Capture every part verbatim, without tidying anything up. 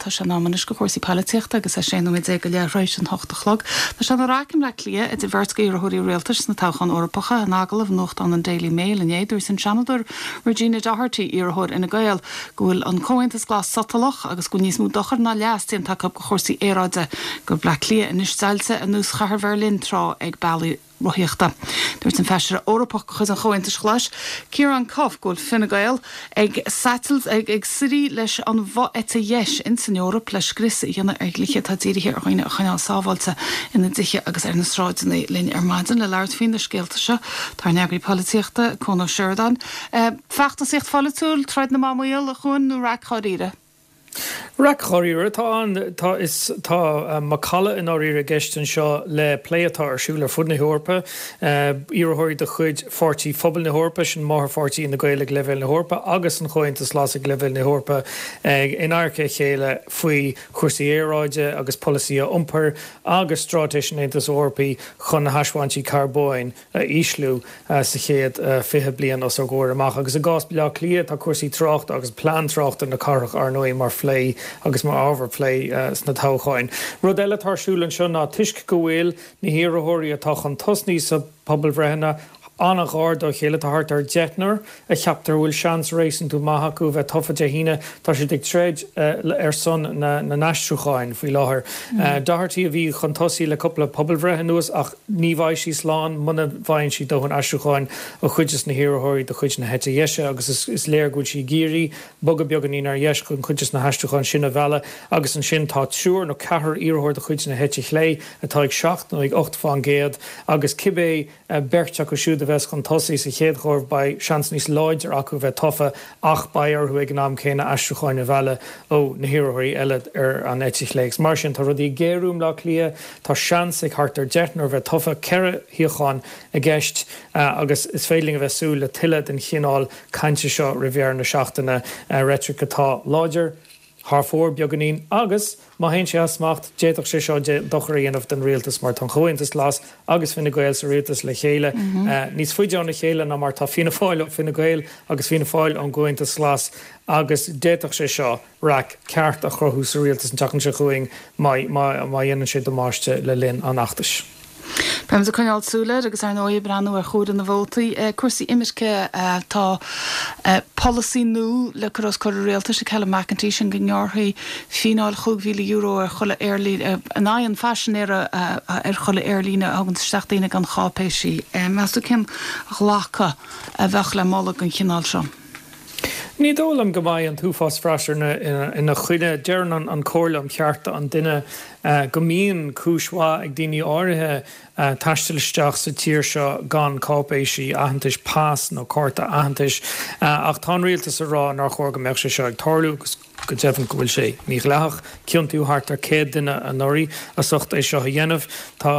Tá sé in am anois do chúrsaí polaitíochta agus é sé nóiméad déag go leath tar éis an hocht a chlog. Tá sé ina raic i mBleá Cliath idir bheirt iarrthóirí rialtais sna toghcháin Eorpacha in agallamh nuachtáin an Daily Mail inné dúirt an Seanadóir Regina Doherty iarrthóir Fhine Gael go bhfuil an Comhaontas Glas sotalach agus go níos mó dochar ná leas déanta acu do chúrsaí aeráide go Bleá Cliath anois deighilte ar nós chathair Bheirlín tráth ag bealaí rothaíochta. Dúirt an feisire Eorpach de chuid an Chomhaontais Ghlais, Ciarán Cuffe go bhfuil Fine Gael ag satailt ag ag suirí leis an bhfo-eite dheis in san Eoraip le scrios a dhéanamh ar dhlíthe atá dírithe ar dhaoine a choinneáil sábháilte ina dtithe agus ar na sráideanna linn ar maidin le labhairt faoi na scéalta seo tá ár n-eagraí polaitíochta Cuan Ó Seireadáin. Feachtasaíocht pholaitiúil troid na mban maol a Chuain nó raic dháiríre. Raic dháiríre tá an tá is tá macalla i ndáiríre i gceist anseo le plé atá ar siúl ar fud na hEorpa iarrthóirí de chuid Pháirtí Phobal na hEorpa sin máthairpháirtí Fhine Gael ag leibhéal na hEorpa agus an Chomhaontas Glas ag leibhéal na hEorpa in adharca a chéile faoi chúrsaí aeráide agus polasaithe iompair agus straitéis an Aontais Eorpaigh chun na hasbhaintí carbóin a ísliú sa chéad fiche bliain os ár gcomhair amach. Agus i gcás Bleá Cliath tá cúrsaí tráchta agus plean tráchta na cathrach ar ndóigh mar phlé agus mar ábhar plé sna toghcháin. Rud eile atá ar siúl anseo ná toisc go bhfuil na hiarrthóirí atá chun tosaigh sa pobalbhreitheanna an-ghar dá chéile tá thart ar deichniúr a cheaptar bhfuil seans réasúnta maith acu bheith tofa Dé hAoine tá siad ag troid ar son na n-aistriúcháin faoi láthair. Doherty a bhí chun tosaigh le cúpla pobalbhreith anuas ach ní bheidh sí slán muna bhfaigheann sí dóthain aistriúcháin ó chuid de na hiarrthóirí de chuid na heite dheise agus is, is léir go bhfuil sí ag iarraidh bogadh beagáinín ar dheis chun cuid de na haistriúcháin sin a mhealladh agus ansin tá triúr nó ceathrar iarrthóir de chuid na heite chlé atá ag seacht nó ag ocht faoin gcéad agus cibé beirt acu siúd a bheas chun tosaigh sa chéad chomhaireamh beidh seans níos láidir acu bheith tofa ach beidh orthu ag an am céanna aistriúcháin a mhealladh ó na hiarrthóirí eile ar an eite chlé. Mar sin tá rudaí ag géarú i mBleá Cliath tá seans ag thart ar deichniúr bheith tofa ceithre shuíochán i gceist agus is féidir linn a bheith súil le tuilleadh den chineál cainte seo roimh dheireadh na seachtaine reitric atá láidir thar fóir beagáinín agus má théann sé as smacht d'fhéadfadh sé seo dochar a dhéanamh don rialtas mar tá an Comhaontas Glas agus Fine Gael sa rialtas le chéile níos faide óna chéile ná mar tá Fianna Fáil ó Fine Gael agus Fianna Fáil ón gComhaontas Glas agus d'fhéadfadh sé seo raic ceart a chruthú sa rialtas an tseachtain seo chugainn má má dhéanann sé damáiste le linn an fheachtais. Beimid ag coinneáil súil air agus ar ndóigh breathnú ar chomhaireamh na vótaí cúrsaí imirce tá polasaí nua le cur os comhair rialtais ag Helen McEntee sin go ngearrfaí fíneáil chúig mhíle euro ar chuile aerlíne in aghaidh an phaisinéara ar chuile aerlíne a thugann isteach daoine gan cháipéisí. Meas tú cén ghlacadh a bheadh le moladh den chineál seo. Ní dóigh liom go mbeidh an t-uafás freasúra ina, ina choinne deireann an Chomhairle um Chearta an Duine go mbíonn cúis mhaith ag daoine áirithe taisteal isteach sa tír seo gan cáipéisí aitheantais pas nó cárta aitheantais ach tá an rialtas ag rá nár chóir go mbeadh sé seo ag tarlú agus go deimhin go bhfuil sé mídhleathach ciontaíodh thart ar céad duine anuraidh as ucht é seo a dhéanamh tá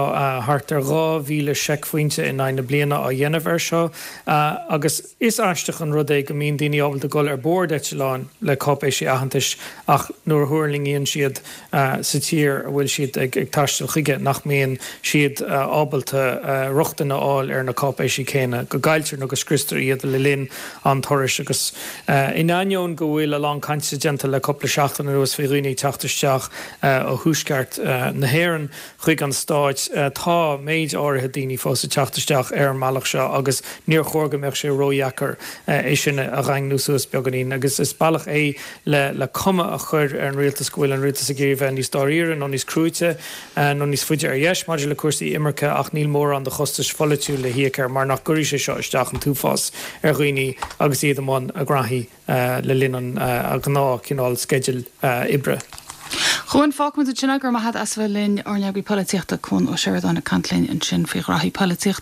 thart ar dhá mhíle seicphointe in aghaidh na bliana á dhéanamh ar seo agus is aisteach an rud é go mbíonn daoine ábalta dul ar bord eitleáin le cáipéisí aitheantais ach nuair a thuirlingíonn siad sa tír a bhfuil siad ag ag taisteal chuige nach mbíonn siad ábalta rochtain a fháil ar na cáipéisí céanna go gcailltear nó go scriostar iad le linn an turais agus in ainneoin go bhfuil a lán cainte déanta le cúpla seachtain anuas faoi dhaoine teacht isteach ó thuaisceart na hÉireann chuig an stáit tá méid áirithe daoine fós ag teacht isteach ar an mbealach seo agus níor chóir go mbeadh sé ródheacair é sin a dhaingniú suas beagáinín agus is bealach é le le cuma a chur ar an rialtas go bhfuil an rialtas ag iarraidh bheith níos dáiríre nó níos cruaite nó níos faide ar dheis maidir le cúrsaí imirce ach níl mórán de chostais pholaitiúil le híoc air mar nach gcuirfidh sé seo isteach an t-uafás ar dhaoine agus iad i mbun a ngraithí le linn an gnáth cineál sceidil oibre. Chuan fágfaimid ansin é go raibh maith agat as bheith linn ár n-eagraí polaitíochta Cuan Ó Seireadáin ag caint linn ansin faoi ghraithí polaitíochta.